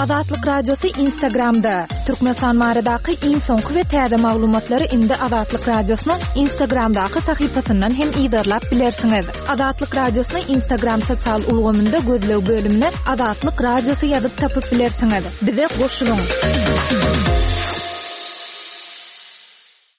Azatlyk Radiosy Instagramda! Türkmenistan baradaky iň soňky we täze maglumatlary indi Azatlyk Radiosynyň Instagramdaky sahypasyndan hem yzarlap bilersiňiz. Azatlyk Radiosyny Instagram sosial ulgamynda gözleg bölümine Azatlyk Radiosy ýazyp tapyp bilersiňiz. Bize goşulyň!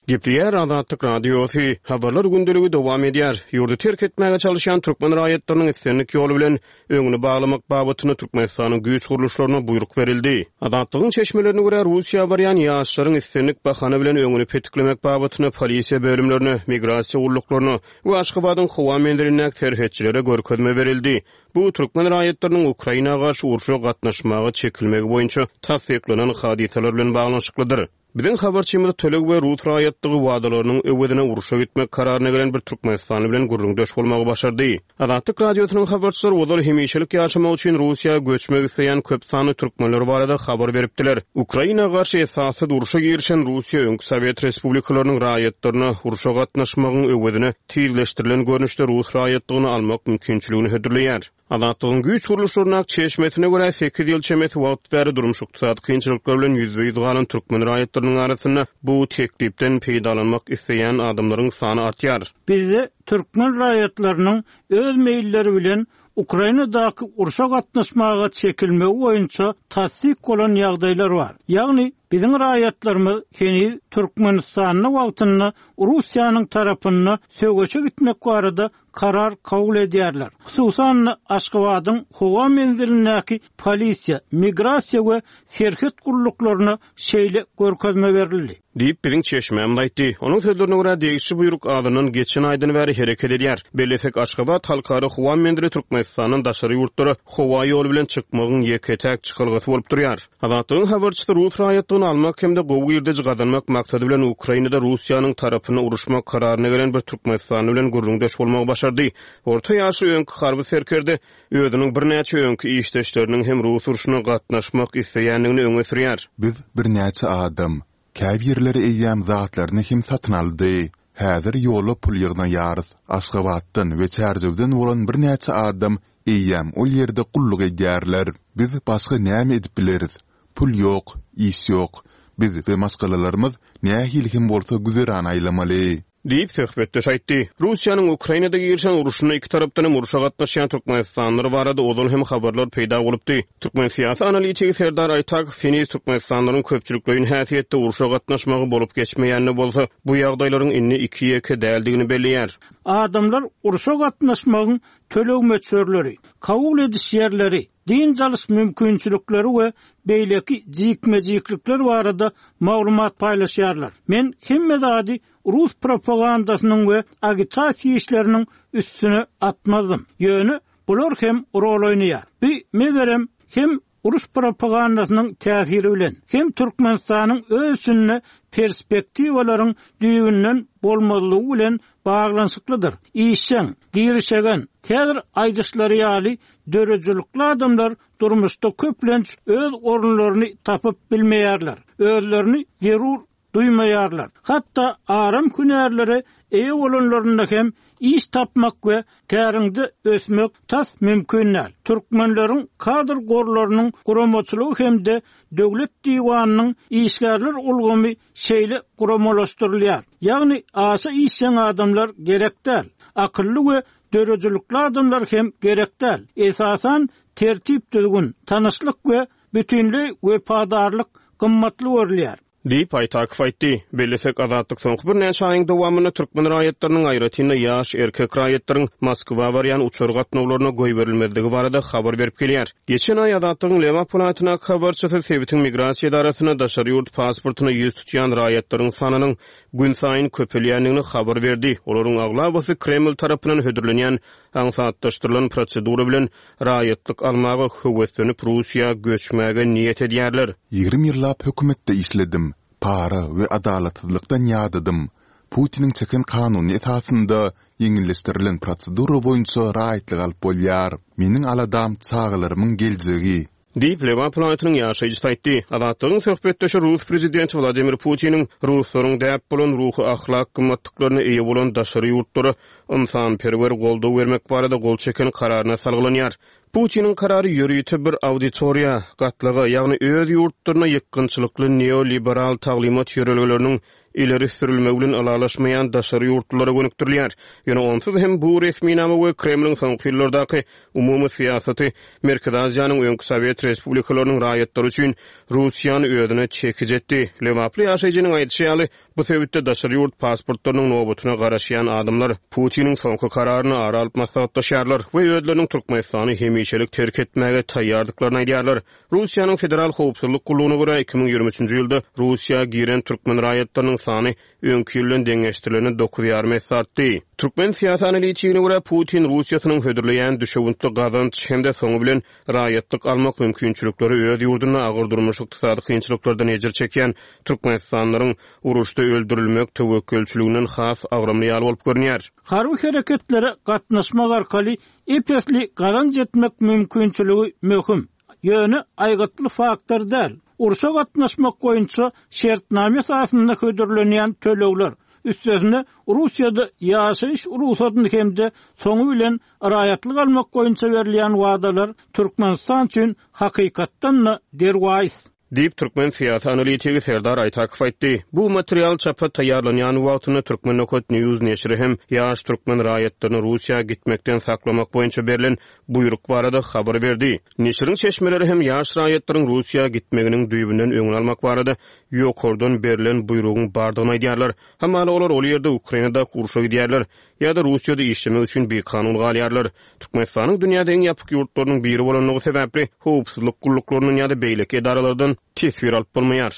Gepleýär Azatlyk Radiosy, Habarlar gündeligi dowam edýär. Ýurdy terk etmäge çalyşýan türkmen raýatlarynyň islendik ýoly bilen öňüni baglamak babatynda Türkmenistanyň güýç gurluşlaryna buýruk berildi. Azatlygyň çeşmelerine görä, Russiýa barýan ýaşlaryň islendik bahana bilen öňüni petiklemek babatynda polisiýa bölümlerine, migrasiýa gulluklaryna we Aşgabadyň howa menzilindäki serhetçilere görkezme berildi. Bu türkmen raýatlarynyň Ukraina garşy urşa gatnaşmaga çekilmegi boýunça tassyklanan hadysalar bilen baglanyşyklydyr. Biziň habarçymyz töleg we rus raýatlygy wadalarynyň öwezine urşa gitmek kararyna gelen bir türkmenistanly bilen gürrüňdeş bolmagy başardy. Azatlyk Radiosynyň habarçylary ozal hemişelik ýaşamak üçin Russiýa göçmek isleýän köp sanly türkmenler barada habar beripdiler. Ukraina garşy esassyz urşa girişen Russiýa öňki sowet respublikalarynyň raýatlaryna urşa gatnaşmagyň öwezine tizleşdirilen görnüşde rus raýatlygyny almak mümkinçiligini hödürleýär. Azatlygyň güýç gurluşlaryndaky çeşmesine görä, sekiz ýyl çemesi wagt bäri durmuş-ykdysady kynçylyklar bilen ýüzbe-ýüz galan türkmen raýatlarynyň arasynda bu teklipden peýdalanmak isleýän adamlaryň sany artýar. Bizde türkmen raýatlarynyň öz meýilleri bilen Ukrainadaky urşa gatnaşmaga çekilmegi boýunça tassyk bolan ýagdaýlar bar. Ýagny, biziň raýatlarymyz heniz Türkmenistanda wagtynda Russiýanyň tarapynda söweşe gitmek barada karar kabul edýärler. Hususan-da, Aşgabadyň howa menzilindäki polisiýa, migrasiýa we serhet gulluklaryna şeýle görkezme berildi. Diýip, biziň çeşmämiz aýtdy. Onuň sözlerine görä, degişli buýruk azyndan geçen aýdan bäri hereket edýär. Bellesek, Aşgabat halkara howa menzili Türkmenistandan daşary ýurtlara howa ýoly bilen çykmagyň ýeke-täk çykalgasy bolup durýar. Azatlygyň habarçysy rus raýatlygyny almak hem-de gowy girdeji gazanmak maksady bilen Ukrainada Russiýanyň tarapynda uruşmak kararyna gelen bir türkmenistanly bilen gürrüňdeş bolmagy başardy. Orta ýaşly öňki harby serkerde özüniň birnäçe öňki işdeşleriniň hem rus urşuna gatnaşmak isleýändigini öňe sürýär. Biz birnäçe adam. Käbirleri eýýäm zatlaryny hem satyn aldy. Häzir ýola pul ýygnaýarys. Aşgabatdan we Çärjewden bolan birnäçe adam eýýäm ol ýerde gulluk edýärler. Biz başga näme edip bileris? Pul ýok, iş ýok. Biz we maşgalalarymyz nähili hem bolsa güzeran aýlamaly. Diýip, söhbetdeş aýtdy. Russiýanyň Ukrainada girişen urşunda iki tarapdan hem urşa gatnaşýan türkmenistanlylar barada ozal hem habarlar peýda bolupdy. Türkmen syýasy analitigi Serdar Aýtakow heniz türkmenistanlylaryň köpçülikleýin häsiýetde urşa gatnaşmagy bolup geçmeýän-de bolsa, bu ýagdaýlaryň indi iki-ýeke däldigini belleýär. Adamlar urşa gatnaşmagyň töleg möçberleri, kabul ediş ýerleri, dynç alyş mümkinçilikleri we beýleki jikme-jiklikler barada maglumat paýlaşýarlar. Men hemme zady rus propagandasynyň we agitasiýa işleriniň üstüne atmazdym. Ýöne bular hem rol oýnaýar. Bu, megerem, hem uruş propagandasynyň täsiri bilen, hem Türkmenistanyň öz içinde perspektiwalaryň düýbünden bolmazlygy bilen baglanyşyklydyr. Işjeň, girişegen, häzir aýdyşlary ýaly döredijilikli adamlar durmuşda köplenç öz orunlaryny tapyp bilmeýärler, özlerini zerur duýmaýarlar. Hatda aram hünärlere eýe bolanlarynda hem iş tapmak we käriňde ösmek tas mümkin däl. Türkmenleriň kadr gorlarynyň guramaçylygy hem-de döwlet diwanynyň işgärler ulgamy şeýle guramalaşdyrylýar. Ýagny aşa işjeň adamlar gerek däl. Akylly we döredijilikli adamlar hem gerek däl. Esasan tertip-düzgün, tanyşlyk we bütinleý wepadarlyk gymmatly görülýär. Diýip, Aýtakow aýtdy. Bellesek, Azatlyk soňky birnäçe aýyň dowamynda türkmen raýatlarynyň, aýratyn-da, ýaş erkek raýatlaryň Moskwa barýan uçar gatnawlaryna goýberilmezligi barada habar berip gelýär. Geçen aý Azatlygyň Lebap welaýatyndaky habarçysy sebitiň migrasiýa edarasynda daşary ýurt pasportyna ýüz tutýan raýatlaryň sanynyň günsaýyn köpelýändigini habar berdi. Olaryň aglabasy Kreml tarapyndan hödürlenýän aňsatlaşdyrylan prosedura bilen raýatlyk almaga höweslenip Russiýa göçmäge niýet edýärler. 20 ýyllap hökümetde işledim. Para we adalatsyzlykdan ýadadym. Putiniň çeken kanuny esasynda ýeňilleşdirilen prosedura boýunça raýatlyk alyp bolýar. Meniň aladam çagalarymyň geljegi. Diýip, Lebap welaýatynyň ýaşaýjysy aýtdy. Azatlygyň söhbetdeşi rus prezidenti Wladimir Putiniň ruslaryň däp bolan ruhy-ahlak gymmatlyklaryna eýe bolan daşary ýurtlara ynsanperwer goldaw bermek barada gol çeken kararyna salgylanýar. Putiniň karary ýörite bir auditoriýa, gatlaga, ýagny öz ýurtlarynda ýykgynçylykly neoliberal taglymat ýörelgeleriniň ileri sürülmegi bilen ylalaşmaýan daşary ýurtlulara gönükdirilýär. Ýöne onsuz hem bu resminama we Kremliň soňky ýyllardaky umumy syýasaty Merkezi Aziýanyň öňki sowet respublikalarynyň raýatlary üçin Russiýany özüne çekiji etdi. Lebaply ýaşaýjynyň aýdyşy ýaly, Bu sebitde daşary ýurt pasportlarynyň nobatyna garaşýan adamlar Putiniň soňky kararyny ara alyp maslahatlaşýarlar we özleriniň Türkmenistany hemişelik terk etmäge taýýardyklaryny aýdýarlar. Russiýanyň Federal howpsuzlyk gullugyna görä, 2023-nji ýylda Russiýa giren türkmen raýatlarynyň sany öňki ýyl bilen deňeşdirilende dokuz ýarym esse artdy. Türkmen syýasy analitigine görä, Putin Russiýasynyň hödürleýän düşewüntli gazanç hem-de soňy bilen raýatlyk almak mümkinçilikleri öz ýurdunda agyr durmuş-ykdysady kynçylyklardan ejir çekýän türkmenistanlylaryň uruşda öldürilmek töwekgelçiliginden has agramly ýaly bolup görünýär. Harby hereketlere gatnaşmak arkaly ep-esli gazanç etmek mümkinçiligi möhüm, ýöne aýgytly faktor däl. Urşa gatnaşmak boýunça şertnama esasynda hödürlenýän tölegler, üstesine Russiýada ýaşaýyş rugsadyny hem-de soňy bilen Raýatlyk almak boýunça berilýän wadalar Türkmenistan üçin hakykatdan-da derwaýys. Diýip, türkmen syýasy analitigi Serdar Aýtakow aýtdy. Bu material çapa taýýarlanýan wagtynda Turkmen. News neşiri hem ýaş türkmen raýatlaryny Russiýa gitmekden saklamak boýunça berlen buýruk barada habar berdi. Neşiriň çeşmeleri hem ýaş raýatlaryň Russiýa gitmeginiň düýbünden öňüni almak barada ýokardan berlen buýrugyň bardygyny aýdýarlar. Hamala olar ol ýerde Ukrainadaky urşa gidýärler. Ýa-da Russiýada işlemek üçin bikanun galýarlar. Türkmenistanyň dünýäde iň ýapyk ýurtlarynyň biri bolanlygy sebäpli, howpsuzlyk gulluklaryndan ýa-da beýleki edaralardan teswir alyp bolmaýar.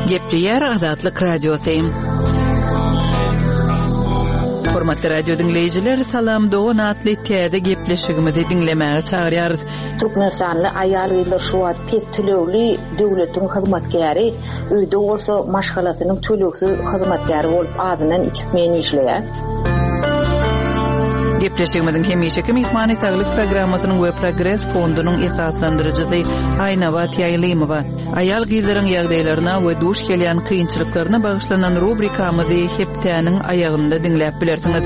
Gepleýär Azatlyk Radiosy. Hormatly radio diňleýjiler, Salam dogan atly täze gepleşigimizi diňlemäge çagyrýarys. Türkmenistanly aýal-gyzlar şu wagt pes tölegli döwletiň hyzmatkäri, öýde bolsa maşgalasynyň tölegsiz hyzmatkäri bolup azyndan iki smen işleýär. Gepleşigimiziň hemişeki myhmany Saglyk programmasynyň we Progres fondunyň esaslandyryjysy Aýnabat Ýaýlymowa. Aýal-gyzlaryň ýagdaýlaryna we duş gelýän kynçylyklaryna bagyşlanan rubrikamyzy hepdäniň aýagynda diňläp bilersiňiz.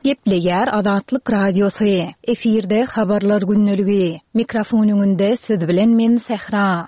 Gepleýär Azatlyk Radiosy, Efirde Habarlar gündeligi. Mikrofon öňünde siz bilen men Sähra.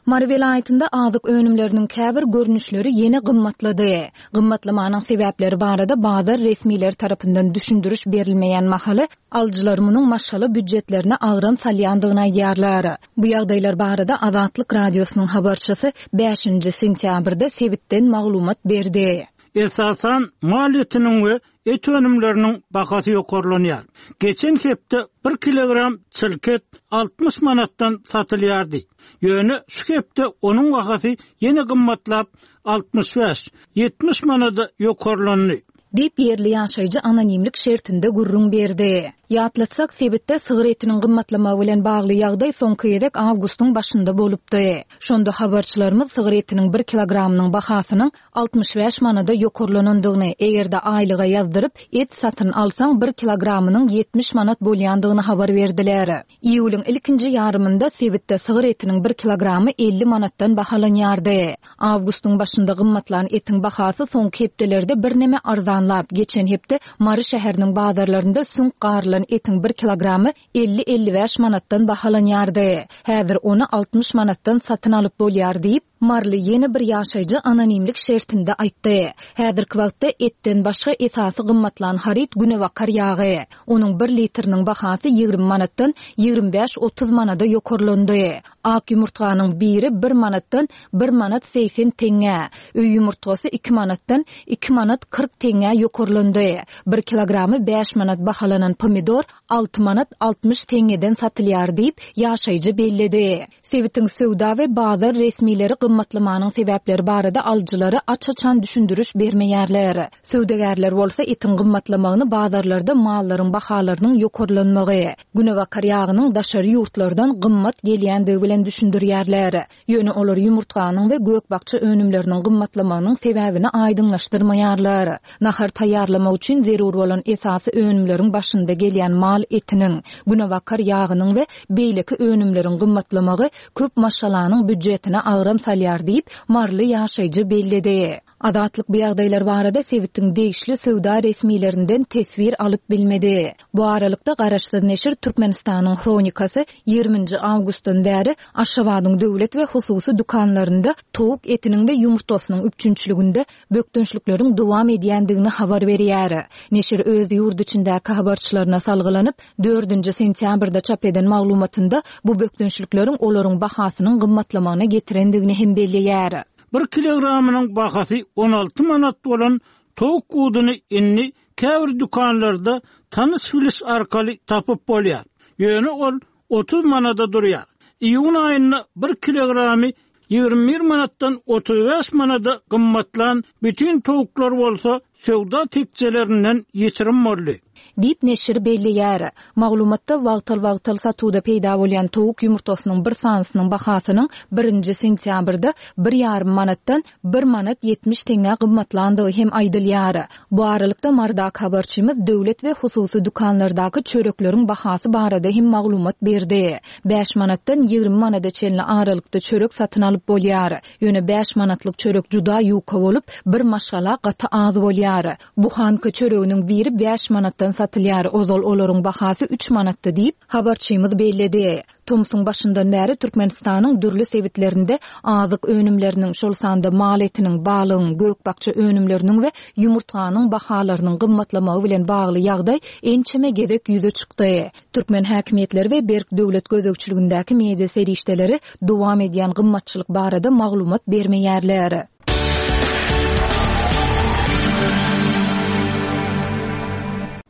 Mary welaýatynda azyk önümleriniň käbir görnüşleri ýene gymmatlady. Gymmatlamanyň sebäpleri barada bazar resmileri tarapyndan düşündiriş berilmeýän mahaly, alyjylar munuň maşgala býujetlerine agram salýandygyny aýdýarlar. Bu ýagdaýlar barada Azatlyk Radiosynyň habarçysy bäşinji sentýabrda sebitden maglumat berdi. Esasan, mal etiniň we et önümleriniň bahasy ýokarlanýar. Geçen hepde bir kilogram çylk et 60 manatdan satylýardy. Ýöne şu hepde onuň bahasy ýene gymmatlap, 65, 70 manada ýokarlandy. Diýip, ýerli ýaşaýjy anonimlik şertinde gürrüň berdi. Ýatlatsak, sebitde sygyr etiniň gymmatlamagy bilen bagly ýagdaý soňky gezek awgustyň başynda bolupdy. Şonda habarçylarymyz sygyr etiniň bir kilogramynyň bahasynyň 65 manada ýokarlanandygyny, eger-de aýlyga ýazdyryp, et satyn alsaň, bir kilogramynyň 70 manat bolýandygyny habar berdiler. Iýulyň ilkinji ýarymynda sebitde sygyr etiniň bir kilogramy 50 manatdan bahalanýardy. Awgustyň başynda gymmatlan etiň bahasy soňky hepdelerde birneme arzanlap, geçen hepde Mary şäheriniň bazarlarynda süňk garylan etiň bir kilogramy 50-55 manatdan bahalanýardy. Häzir ony 60 manatdan satyn alyp bolýar diýip, Maryly ýene bir ýaşaýjy anonimlik şertinde aýtdy. Häzirki wagtda etden başga esasy gymmatlan haryt günebakar ýagy. Onuň bir litriniň bahasy 20 manatdan 25-30 manada ýokarlandy. Ak ýumurtganyň biri bir manatdan bir manat 80 teňňä, öý ýumurtgasy iki manatdan iki manat 40 teňňä ýokarlandy. Bir kilogramy bäş manat bahalanan pomidor alty manat 60 teňňeden satylýar diýip, ýaşaýjy belledi. Sebitiň söwda we bazar resmileri gymmatlamanyň sebäpleri barada alyjylara aç-açan düşündiriş bermeýärler. Söwdagärler bolsa etiň gymmatlamagyny bazarlarda mallaryň bahalarynyň ýokarlanmagy, günebakar ýagynyň daşary ýurtlardan gymmat gelýändigi bilen düşündirýärler. Ýöne olar ýumurtganyň we gök-bakja önümleriniň gymmatlamagynyň sebäbini aýdyňlaşdyrmaýarlar. Nahar taýýarlamak üçin zerur bolan esasy önümleriň başynda gelýän. edilýän mal etiniň, günebakar ýagynyň we beýleki önümleriň gymmatlamagy köp maşgalanyň býujetine agram salýar diýip, maryly ýaşaýjy belledi. Azatlyk bu ýagdaýlar barada sebitiň degişli söwda resmilerinden teswir alyp bilmedi. Bu aralykda, garaşsyz neşir Türkmenistanyň Hronikasy ýigriminji awgustdan bäri Aşgabadyň döwlet we hususy dükanlarynda towuk etiniň we ýumurtgasynyň üpjünçiliginde bökdençlikleriň dowam edýändigini habar berýär. Neşir öz ýurt içindäki habarçylaryna salgylanyp, dördünji sentýabrda çap eden maglumatynda bu bökdençlikleriň olaryň bahasynyň gymmatlamagyna getirendigini hem belleýär. Bir kilogramynyň bahasy 16 manat bolan towuk buduny indi käbir dükanlarda tanyş-biliş arkaly tapyp bolýar. Ýöne ol 30 manada durýar. Iýun aýynda bir kilogramy 21 manatdan 35 manada gymmatlan bütin towuklar bolsa söwda tekjelerinden ýitirim boldy. Diýip, neşir belleýär. Maglumatda wagtal-wagtal satuwda peýda bolýan towuk ýumurtgasynyň bir sanysynyň bahasynyň birinji sentýabrda bir ýarym manatdan bir manat 70 teňňä gymmatlandygy hem aýdylýar. Bu aralykda, Marydaky habarçymyz döwlet we hususy dükanlardaky çörekleriň bahasy barada hem maglumat berdi. Bäş manatdan 20 manada çenli aralykda çörek satyn alyp bolýar. Ýöne bäş manatlyk çörek juda ýuka bolup, bir maşgala gaty az bolýar. Buhanka çöreginiň biri bäş manatdan satylýar, ozal olaryň bahasy üç manatdy diýip, habarçymyz belledi. Tomsuň başyndan bäri Türkmenistanyň dürli sebitlerinde azyk önümleriniň, şol sanda mal etiniň, balygyň, gök-bakja önümleriniň we ýumurtganyň bahalarynyň gymmatlamagy bilen bagly ýagdaý ençeme gezek ýüze çykdy. Türkmen häkimiýetleri we berk döwlet gözegçiligindäki media serişdeleri dowam edýän gymmatçylyk barada maglumat bermeýärler.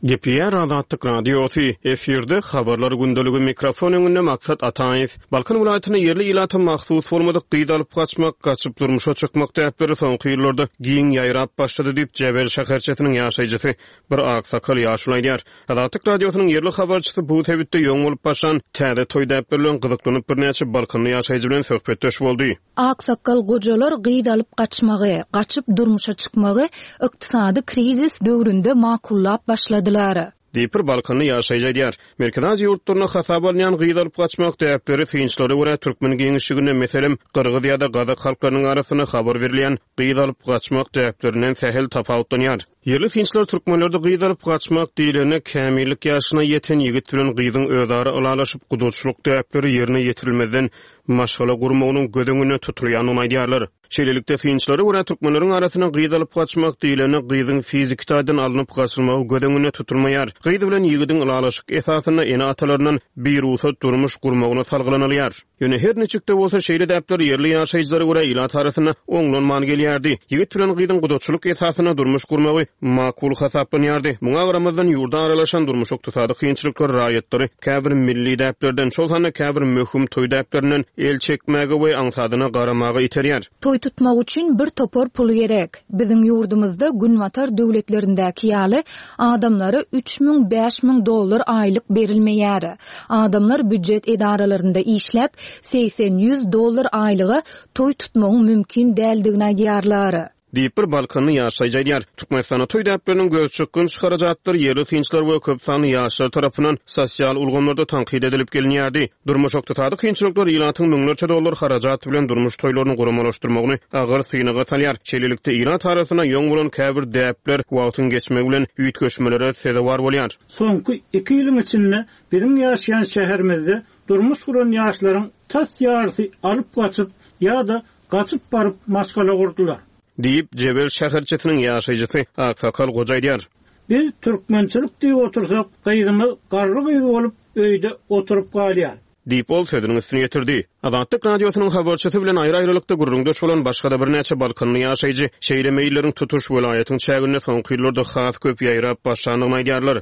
Gepleýär Azatlyk Radiosy, efirde Habarlar gündeligi, mikrofon öňünde Maksat Ataýew. Balkan welaýatynda ýerli ilata mahsus bolmadyk gyz alyp gaçmak, gaçyp durmuşa çykmak däpleri soňky ýyllarda giň ýaýrap başlady diýip, Jebel şäherçesiniň ýaşaýjysy bir aksakal ýaşuly aýdýar. Azatlyk Radiosynyň ýerli habarçysy bu sebitde ýoň bolup başlan täze toý däpleri bilen gyzyklanyp birnäçe balkanly ýaşaýjy bilen söhbetdeş boldy. Aksakgal gojalar gyz alyp gaçmagy, gaçyp durmuşa çykmagy ykdysady krizis döwründe makullap başladylar. Diýip, bir balkanly ýaşaýjy aýdýar. Merkezi Aziýa ýurtlarynda hasaba alynýan gyz alyp gaçmak däpleri synçylara görä türkmen giňişliginde, meselem, gyrgyz ýa-da gazak halklarynyň arasynda habar berilýän gyz alyp gaçmak däplerinden sähel tapawutlanýar. Ýerli synçylar türkmenlerde gyz alyp gaçmak diýlende kämillik ýaşyna ýeten ýigit bilen gyzyň özara ylalaşyp, gudaçylyk däpleri ýerine ýetirilmezden maşgala gurmagynyň göz öňünde tutulýandygyny aýdýarlar. Şeýlelikde, synçylara görä, türkmenleriň arasynda gyz alyp gaçmak diýlende gyzyň fiziki taýdan alnyp gaçylmagy göz öňünde tutulmaýar. Gyz bilen ýigidiň ylalaşyk esasynda ene-atalaryndan birugsat durmuş gurmagyna salgylanylýar. Ýöne her niçik-de bolsa, şeýle däpler ýerli ýaşaýjylara görä ilat arasynda oňlanman gelýärdi. Ýigit bilen gyzyň gudaçylyk esasynda durmuş gurmagy makul hasaplanýardy. Muňa garamazdan, ýurda aralaşan durmuş-ykdysady kynçylyklar raýatlary käbir milli däplerden, şol sanda käbir möhüm toý däplerinden el çekmäge we aňsadyna garamaga iterýär. Toý tutmak üçin bir topar pul gerek. Biziň ýurdumyzda günbatar döwletlerindäki ýaly adamlara 3000, 5000 dollar aýlyk berilmeýär. Adamlar býujet edaralarynda işläp, segsen-ýüz dollar aýlyga toý tutmagyň mümkin däldigini aýdýarlar. Diýip, bir balkanly ýaşaýjy aýdýar. Türkmenistanda toý däpleriniň gözçykgynç harajatlary ýerli synçylar we köp sanly ýaşlar tarapyndan sosial ulgamlarda tankyt edilip gelinýärdi. Durmuş-ykdysady kynçylyklar ilatyň müňlerçe dollar harajat bilen durmuş toýlaryny guramalaşdyrmagyny agyr synaga salýar. Şeýlelikde, ilat arasynda ýoň bolan käbir däpler wagtyň geçmegi bilen üýtgeşmelere sezewar bolýar. Soňky iki ýylyň içinde biziň ýaşaýan şäherimizde durmuş guran ýaşlaryň tas ýarysy alyp gaçyp ýa-da gaçyp baryp maşgala gurdular. Diýip, Jebel şäherçesiniň ýaşaýjysy aksakal goja aýdýar. Biz türkmençilik diýip otursak, gyzymyz garry gyz bolup öýde oturyp galýar. Diýip, ol sözüniň üstüni ýetirdi. Azatlyk Radiosynyň habarçysy bilen aýry-aýrylykda gürrüňdeş bolan başga-da birnäçe balkanly ýaşaýjy şeýle meýilleriň tutuş welaýatyň çäginde soňky ýyllarda has köp ýaýrap başlandygyny aýdýarlar.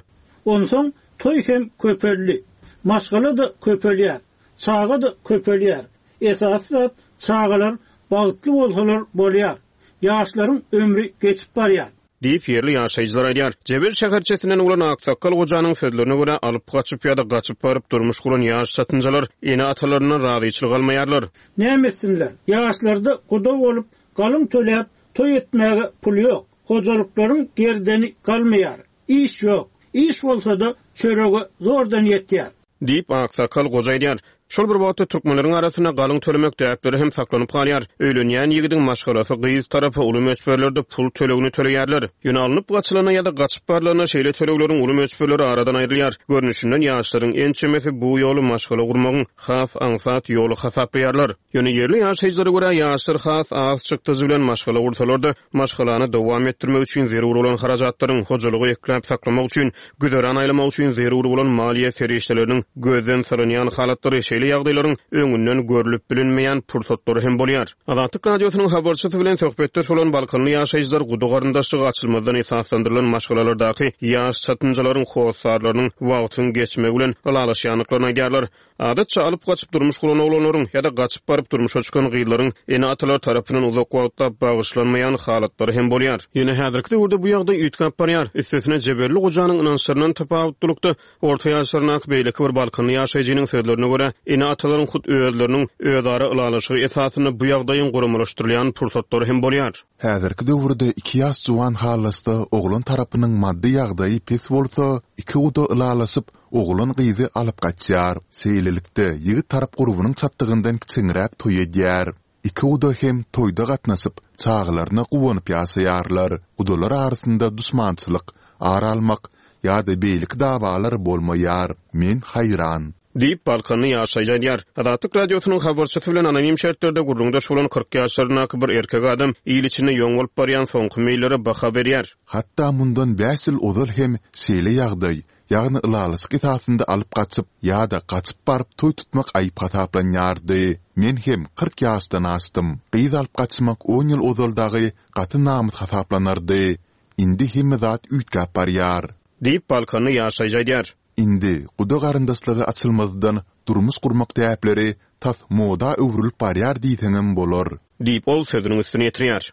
Onsoň toý hem köpeldi. Maşgala-da köpelýär. Çaga-da köpelýär. Esasy zat çagalar bagtly bolsalar bolýar. Ýaşlaryň ömri geçip barýar. Diýip, ýerli ýaşaýjylar aýdýar. Jebel şäherçesinden bolan aksakgal gojanyň sözlerine görä, alyp gaçyp ýa-da gaçyp baryp durmuş guran ýaş çatynjalar ene-atalaryndan razyçylyk almaýarlar. Näme etsinler? Ýaşlarda guda bolup, galyň töläp, toý etmäge pul ýok. Hojalyklaryň gerdeni galmaýar. Iş ýok. Iş bolsa-da, çörege zordan ýetýär. Diýip, aksakgal goja aýdýar. Şol bir wagtda türkmenleriň arasynda galyň tölemek däpleri hem saklanyp galýar. Öýlenýän ýigidiň maşgalasy gyz tarapa uly möçberlerde pul tölegini töleýärler. Ýöne alnyp gaçylanda ýa-da gaçyp barlanda şeýle tölegleriň uly möçberleri aradan aýrylýar. Görnüşinden ýaşlaryň ençemesi bu ýoly maşgala gurmagyň has aňsat ýoly hasaplaýarlar. Ýöne ýerli ýaşaýjylara görä, ýaşlar has az çykdajy bilen maşgala gursalar-da, maşgalany dowam etdirmek üçin zerur bolan harajatlaryň, hojalygy ekläp-saklamak üçin, güzeran aýlamak üçin zerur bolan maliýe serişdeleriniň gözden salynýan halatlary, şeýle ýagdaýlaryň öňünden görlüp bilinmeýän pursatlary hem bolýar. Azatlyk Radiosynyň habarçysy bilen söhbetdeş bolan balkanly ýaşaýjylar guda garyndaşlygy açylmazdan esaslandyrylan maşgalalardaky ýaş çatynjalaryň hossarlarynyň wagtyň geçmegi bilen ylalaşýandyklaryny aýdýarlar. Adatça alyp gaçyp durmuş guran oglanlaryň ýa-da gaçyp baryp durmuşa çykan gyzlaryň ene-atalary tarapyndan uzak wagtlap bagyşlanmaýan halatlary hem bolýar. Ýöne häzirki döwürde bu ýagdaý üýtgäp barýar. Üstesine jeberli gojanyň ynançlaryndan tapawutlylykda, orta ýaşlaryndaky beýleki bir balkanly ýaşaýjynyň sözlerine görä, ene-atalaryň hut özleriniň özara ylalaşygy esasynda bu ýagdaýyň guramalaşdyrylýan pursatlary hem bolýar. Häzirki döwürde iki ýaş juwan halaşsa, oglan tarapynyň maddy ýagdaýy pes bolsa, iki guda ylalaşyp, Oglan gyzy alyp gaçýar. Şeýlelikde, ýigit tarap gurbunyň çatdygyndan kiçeňräk toý edýär. Iki guda hem toýda gatnaşyp, çagalaryna guwanyp ýaşaýarlar. Gudalar arasynda duşmançylyk, ar almak ýa-da beýleki dawalar bolmaýar. Men haýran. Diýip, balkanly ýaşaýjy aýdýar. Azatlyk Radiosynyň habarçysy bilen anonim şertlerde gürrüňdeş bolan 40 ýaşlaryndaky bir erkek adam il içinde ýoň bolup barýan soňky meýillere baha berýär. Hatda mundan bäş ýyl ozal hem şeýle ýagdaý, ýagny ylalaşyk esasynda alyp gaçyp ýa-da gaçyp baryp toý tutmak aýyp hasaplanýardy. Men hem 40 ýaşdan aşdym. Gyz alyp gaçmak on ýyl ozal dagy gaty namys hasaplanardy. Indi hemme zat üýtgäp barýar. Diýip, balkanly ýaşaýjy aýdýar. Indi guda garyndaşlygy açylmazdan durmuş gurmak däpleri tas moda öwrülip barýar diýseňem bolar. Diýip, ol sözüniň üstüni ýetirýär.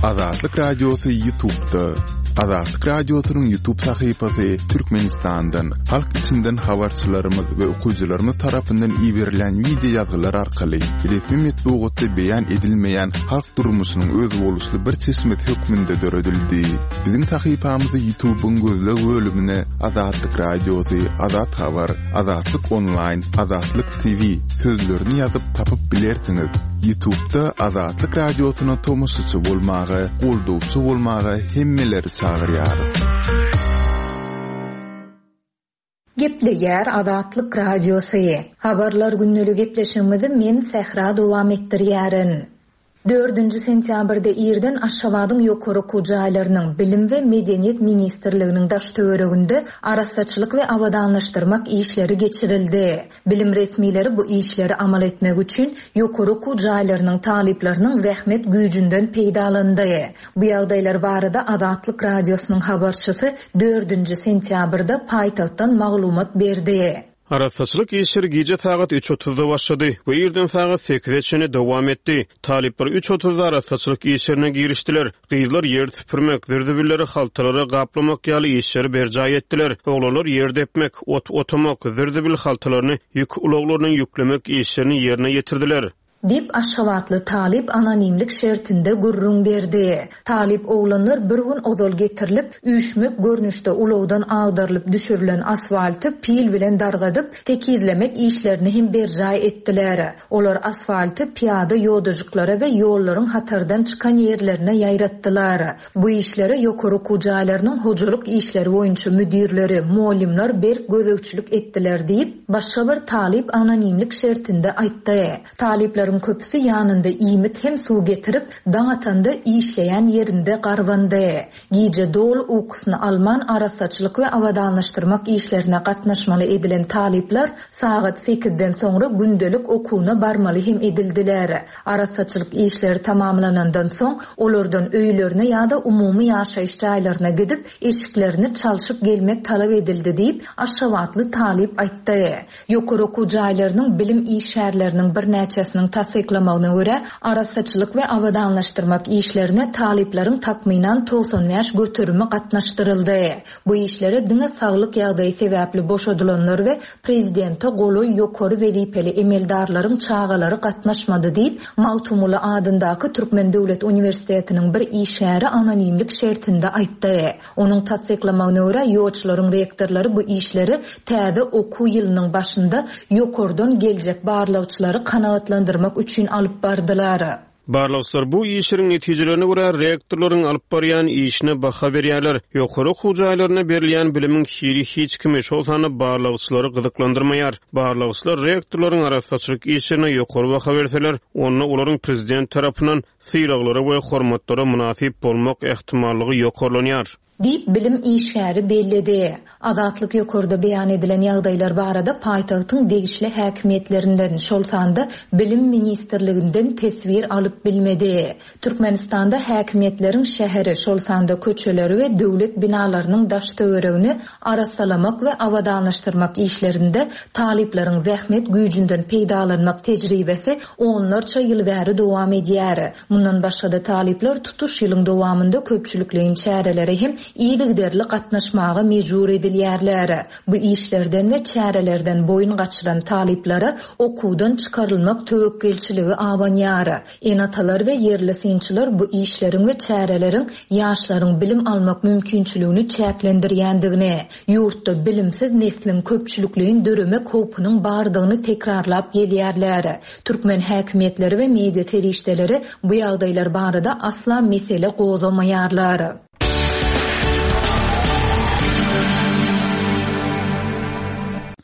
Azatlyk Radiosy YouTube'da. Azatlyk Radiosynyň YouTube sahypasy Türkmenistandan, halk içinden habarçylarymyz we okyjylarymyz tarapyndan iberilen wideo ýazgylar arkaly resmi metbugatda beýan edilmeýän halk durmuşynyň özboluşly bir çeşmesi hökmünde döredildi. Biziň sahypamyzy YouTube'yň gözleg bölümine Azatlyk Radiosy, Azat Habar, Azatlyk Onlaýn, Azatlyk TV sözlerini ýazyp tapyp bilersiňiz. Ýutubda Azatlyk Radiosyna tomaşaçy bolmaga, goldawçy bolmaga hemmeleri çagyrýarys. Gepleýär Azatlyk Radiosy. Habarlar gündelik gepleşigimizi men Sähra dowam etdirýärin. Dördünji sentýabrda irden Aşgabadyň ýokary okuw jaýlarynyň, Bilim we Medeniýet ministrliginiň daş-töwereginde arassaçylyk we abadanlaşdyrmak işleri geçirildi. Bilim resmileri bu işleri amal etmek üçin ýokary okuw jaýlarynyň talyplarynyň zähmet güýjünden peýdalandy. Bu ýagdaýlar barada Azatlyk Radiosynyň habarçysy dördünji sentýabrda paýtagtdan maglumat berdi. Arassaçylyk işleri gije sagat üç otuzda başlady we irden sagat sekize çenli dowam etdi. Talyplar üç otuzda arassaçylyk işlerine girişdiler. Gyzlar ýer süpürmek, zir-zibilleri haltalara gaplamak ýaly işleri berjaý etdiler. Oglanlar ýer depmek, ot otamak, zir-zibil haltalaryny ýük ulaglaryna ýüklemek işlerini ýerine ýetirdiler. Diýip, aşgabatly talyp anonimlik şertinde gürrüň berdi. Talyp oglanlar bir gün ozal getirilip, üýşmek görnüşde ulagdan agdarylyp düşürilen asfalty pil bilen dargadyp, tekizlemek işlerini hem berjaý etdiler. Olar asfalty pyýada ýodajyklara we ýollaryň hatardan çykan ýerlerine ýaýratdylar. Bu işlere ýokary okuw jaýlarynyň hojalyk işleri boýunça müdirleri, mugallymlar berk gözegçilik etdiler diýip, başga bir talyp anonimlik şertinde aýtdy. Talyplaryň köpüsi ýanynda iýmit hem suw getirip, daň atanda işleýän ýerinde garbandy. Gije doly ukusyny alman arassaçylyk we abadanlaşdyrmak işlerine gatnaşmaly edilen talyplar sagat sekizden soňra gündelik okuwyna barmaly hem edildiler. Arassaçylyk işleri tamamlanandan soň, olardan öýlerine ýa-da umumy ýaşaýyş jaýlaryna gidip, eşiklerini çalşyp gelmek talap edildi diýip, aşgabatly talyp aýtdy. Ýokary okuw jaýlarynyň bilim işgärleriniň birnäçesiniň. tassyklamagyna görä, arassaçylyk we abadanlaşdyrmak işlerine talyplaryň takmynan 95 göterimi gatnaşdyryldy. Bu işlere diňe saglyk ýagdaýy sebäpli boşadylanlar we prezidente golaý ýokary wezipeli emeldarlaryň çagalary gatnaşmady diýip, Magtymguly adyndaky Türkmen döwlet uniwersitetiniň bir işgäri anonimlik şertinde aýtdy. Onuň tassyklamagyna görä, ýolçularyň rektorlary bu işleri täze okuw ýylynyň başynda ýokardan geljek barlagçylary kanagatlandyrmak üçin alyp bardylar. Barlagçylar bu işleriň netijelerine görä rektorlaryň alyp barýan işine baha berýärler. Ýokary okuw jaýlarynda berilýän bilimiň hili hiç kimi, şol sanda barlagçylary gyzyklandyrmaýar. Barlagçylar rektorlaryň arassaçylyk işlerine ýokary baha berseler, onda olaryň prezident tarapyndan sylaglara we hormatlara mynasyp bolmak ähtimallygy ýokarlanýar. Diýip, bilim işgäri belledi. Azatlyk ýokarda beýan edilen ýagdaýlar barada paýtagtyň degişli häkimiýetlerinden, şol sanda Bilim ministrliginden teswir alyp bilmedi. Türkmenistanda häkimiýetleriň şäheri, şol sanda köçeleri we döwlet binalarynyň daş-töweregini arassalamak we abadanlaşdyrmak işlerinde talyplaryň zähmet güýjünden peýdalanmak tejribesi onlarça ýyl bäri dowam edýär. Mundan başga-da talyplar tutuş ýylyň dowamynda köpçülikleýin çärelere hem yzygiderli gatnaşmaga mejbur edilýärler. Bu işlerden we çärelerden boýun gaçyran talyplara okuwdan çykarylmak töwekgelçiligi abanýar. Ene-atalar we ýerli synçylar bu işleriň we çäreleriň ýaşlaryň bilim almak mümkinçiligini çäklendirýändigini, ýurtda bilimsiz nesliň köpçülikleýin döremek howpunyň bardygyny tekrarlap gelýärler. Türkmen häkimiýetleri we media serişdeleri bu ýagdaýlar barada asla mesele gozgamaýarlar.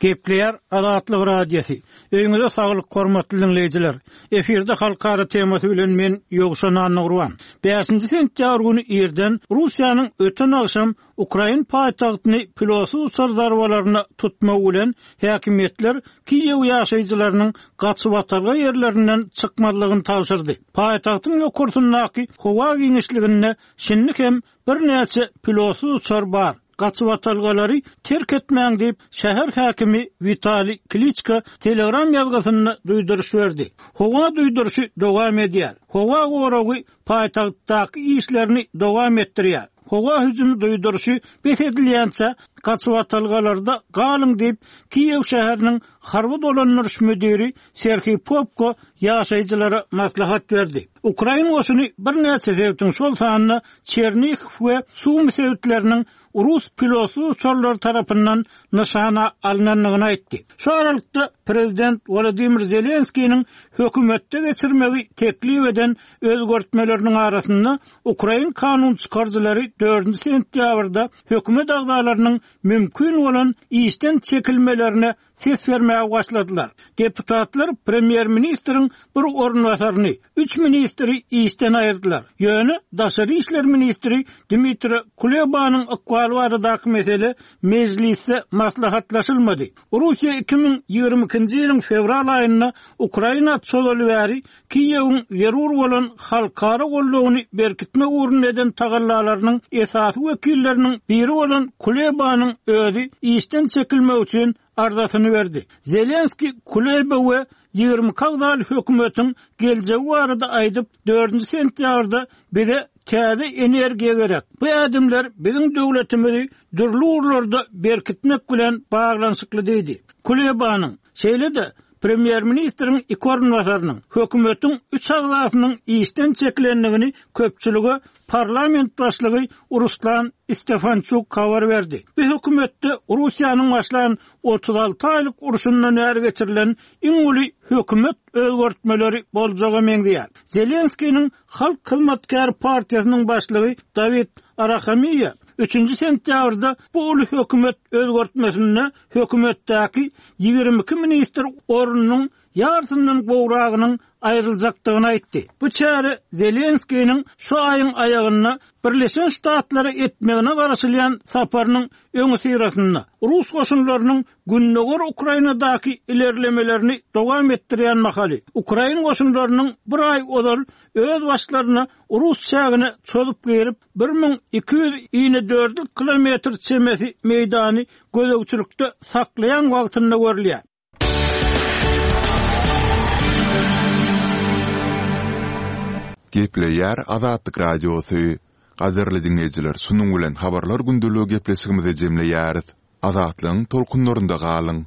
Gepleýär Azatlyk Radiosy. Öýüňize saglyk hormatly diňleýjiler. Efirde halkara temasy bilen men Ýowşan Annagurban. Bäşinji sentýabr güni irden Russiýanyň öten agşam Ukrain paýtagtyny pilotsyz uçar zarbalaryna tutmagy bilen, häkimiýetler Kiýew ýaşaýjylarynyň gaçybatalga ýerlerinden çykmazlygyny tabşyrdy. Paýtagtyň ýokarsyndaky howa giňişliginde şindi hem birnäçe pilotsyz uçar bar. Gaçybatalgalary terk etmäň diýip, şäher häkimi Witaliý Kliçko Telegram ýazgysynda duýduryş berdi. Howa duýduryşy dowam edýär. Howa goragy paýtagtdaky işlerini dowam etdirýär. Howa hüjümi duýduryşy bes edilýänçä gaçybatalgalarda galyň diýip, Kiýew şäheriniň harby dolandyryş müdiri Serhiý Popko ýaşaýjylara maslahat berdi. Ukrain goşuny birnäçe sebitiň, şol sanda Çernihiw we Sumy sebitleriniň rus pilotsyz uçarlary tarapyndan nyşana alnandygyny aýtdy. Şu aralykda, prezident Wolodymyr Zelenskiniň hökümetde geçirmegi teklip eden özgertmeleriniň arasynda ukrain kanun çykaryjylary dördünji sentýabrda hökümet agzalarynyň mümkin bolan işden çekilmelerine ses bermäge başladylar. Deputatlar premýer-ministriň bir orunbasaryny, üç ministri işden aýyrdylar. Ýöne daşary işler ministri Dmitro Kulebanyň ykbaly baradaky mesele mejlisde maslahatlaşylmady. Russiýa 2022-nji ýylyň fewral aýynda Ukraina çozaly bäri Kiýewiň zerur bolan halkara goldawyny berkitmek ugrunda eden tagallalarynyň esasy wekilleriniň biri bolan Kulebanyň özi işden çekilmek üçin arzasyny berdi. Zelenskiý Kuleba we 22 agzaly hökümetiň geljegi barada aýdyp, dördünji sentýabrda bize täze energiýa gerek. Bu ädimler biziň döwletimizi dürli ugurlarda berkitmek bilen baglanyşykly diýdi. Kulebanyň, şeýle-de, Premýer-ministriň iki orunbasarynyň, hökümetiň üç agzasynyň işden çekilendigini köpçülige parlament başlygy Ruslan Stefançuk habar berdi. Bu hökümetde Russiýanyň başlan 36 aýlyk urşundan bäri geçirilen iň uly hökümet özgertmeleri boljaga meňzeýär. Zelenskiniň Halk hyzmatkäri partiýasynyň başlygy Dawid Arahamiýa üçünji sentýabrda bu uly hökümet özgertmesinde hökümetdäki 22 ministr ornunyň ýarysyndan gowragynyň aýryljakdygyny aýtdy. Bu çäre Zelenskiniň şu aýyň aýagynda Birleşen Ştatlara etmegine garaşylýan saparynyň öňüsyrasynda, rus goşunlarynyň gündogar Ukrainadaky ilerlemelerini dowam etdirýän mahaly, ukrain goşunlarynyň bir aý ozal öz başlaryna rus çägine çozup girip, 1200 inedördül kilometr çemesi meýdany gözegçilikde saklaýan wagtynda görülýär. Gepleýär Azatlyk Radiosy. Gadyrly diňleýjiler, şunuň bilen Habarlar gündeligi gepleşigimizi jemleýäris. Azatlygyň tolkunlarynda galyň!